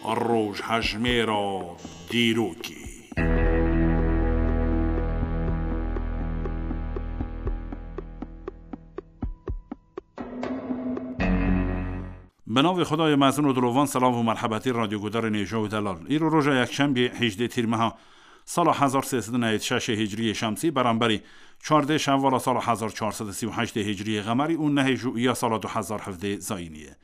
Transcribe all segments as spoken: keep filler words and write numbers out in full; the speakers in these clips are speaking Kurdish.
Rojhejmêra dîrokê. Bi navê Xwedayê mezin û dilovan, selav û merhebetî radyogudarên hêja û delal. Îro roja yekşembê, hejdê tîrmeha sala hezar sê sed û newêd şeşê hicriyê şemsî, beramberî çardê şevala sala hezar çar sed û sî û heştê hicriyê qemerî û nehê jûiya sala du hezar hevdê zayînî ye.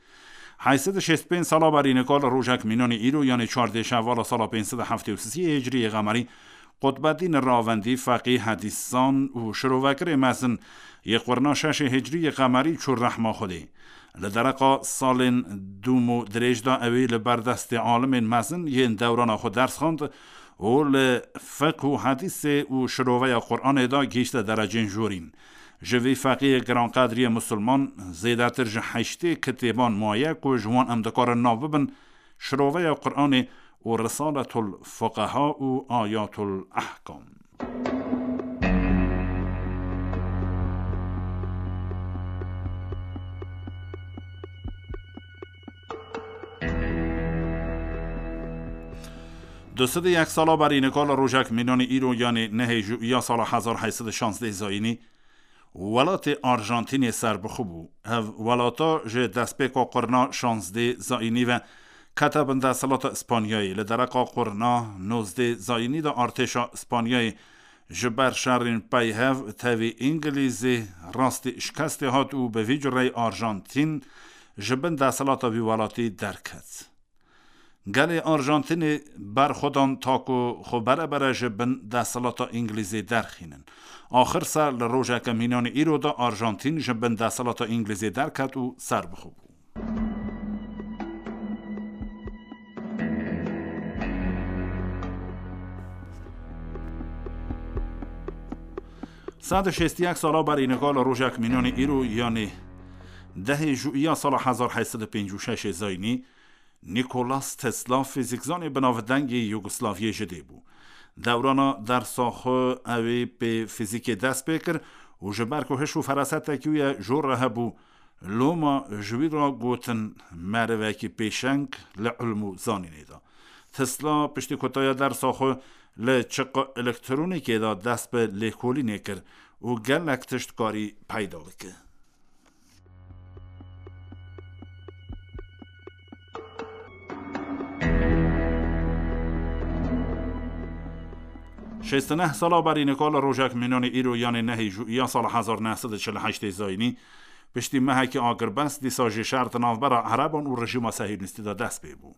Heyt sed û şêst pênc sala berî nika li rojek mînanê îro, yanê çardê şevala sala pênc sed û heftê û sisê hicriyê qemerî, Qutbedîn Ravendî, feqî, hedîszan û şirovekirê mezin yê qurna şeşê hicriyê qemerî çû rehma Xwedê. Li dereqa salên dûm û dirêj de ewî li ber destê alimên mezin yên dewrana xwe ders xwend û li fiqh û hedîsê û şiroveya Quranê de gihîşte derecên jorîn. Ji vî feqîyê giranqedriyê musulman zêdetir ji heştê kitêban maye ku ji wan em dikarin nav bibin Şiroveya Quranê û Risaletul Fuqeha û Ayatul Ehkam. Du sed û yek sala berî nika li rojek mînanê îro, yanê nehê jûiya sala hezar heyt sed û şazdeh zayînî, welatê Arjantînê serbixwe bû. Ev welata ji destpêka qurna şazdeh zayînî ve kete bin desthilata Îspanyayê. Li dereqa qurna nozdeh zayînî de artêşa Îspanyayê ji ber şerên peyhev tevî Îngilîzê rastî şikestê hat û bi vî cureyî Arjantîn ji bin desthilata vî welatî derket. Gelê Arjantînê berxwedan ta ku xwe bere bere ji bin desthilata Îngilîzê derxînin. Axir ser li rojeke mînanê îro de Arjantîn ji bin desthilata Îngilîzê derket û serbixwe bû. Sed û şêst û yek sala berî nika li rojek mînanê îro, yanê dehê jûiya sala hezar heyt sed û pêncî û şeşê zayînî, Nikolas Tesla fîzîkzanê binavdeng yê Yugoslaviyê ji dê bû. Dewrana dersa xwe ewê pê fîzîkê dest pê kir û ji ber ku hiş û ferasetekî wî ye jor re hebû, loma ji wî re gotin merivekî pêşeng li ilm û zanînê de. Tesla piştî ku taya dersa xwe li çiqa elektronîkê de dest bi lêkolînê kir û gelek tişt karî peyda bike. Şêst û neh sala berî nika li rojek mînanê îro, yanê nehê jûiya sala hezar neh sed û çil û heştê zayînî, piştî mehekî agirbest, dîsa jî şer di navbera Ereban û rejîma Sehînîstî de dest pê bû.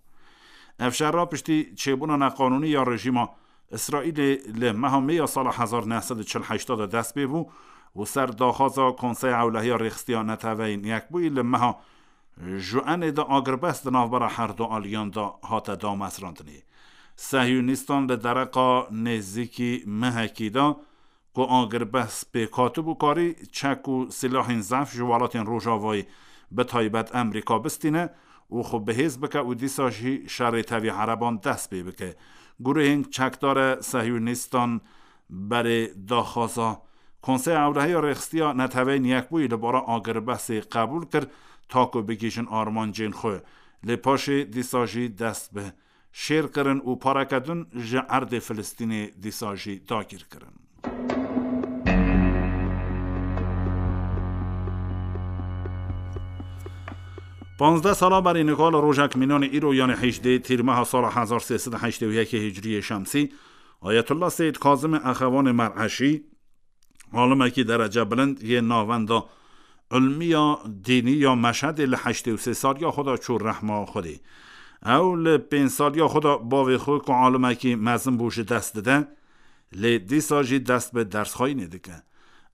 Ev şer re piştî çêbûna neqanûnî ya rejîma Îsraîlê li meha Mê ya sala hezar neh sed û çil û heşt de dest pê bû û ser daxwaza Konseya Ewlehiya Rêxistiya Neteweyên Yekbûyî li meha Juenê de agirbest di navbera her du aliyan de hate damezrandinê. Sehiyonîstan li dereqa nêzîkî mehekî de ku agirbest pêk hatibû, karî çek û silahên zehf ji welatên Rojavayê, bi taybet Amerîka, bistîne û xwe bihêz bike û dîsa jî şerê tevî Ereban dest pê bike. Guruhên çekdar e Sehiyonîstan berê daxwaza Konseya Ewlehiya Rêxistiya Neteweyên Yekbûyî li bara agirbestê qebûl kir, ta ku bigihîjin armancên xwe. Lê paşê dîsa jî dest bi şêr kirin û pareke din ji erdê Filistînê dîsa jî dagîr kirin. Panzdeh sala berî nika li rojek mînanê îro, yanê hejdê tîrmeha sala hezar sê sed û heştê û yekê hicriyê şemsî, Ayetullah Seyyid Kazimê Exevanê Mer'eşî, alimekî derece bilind yê navenda ilmiya dînî ya Meşhedê, li heştê û sê saliya xwe de çû rehma Xwedê. Ew li pênc saliya xwe de bavê xwe ku alimekî mezin bû ji dest dide, lê dîsa jî dest bi dersxweyinê dike.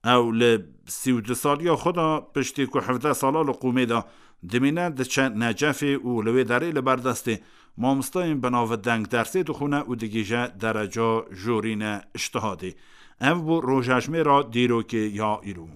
Ew li sî û du saliya xwe de, piştî ku hevdeh sala li qûmê de dimîne, diçe Necefê û li wê derê li ber destê mamostayên binavdeng dersê dixwîne û digihîje dereca jorîne îctihadê. Ev bû rojejmêra dîrokê ya îro.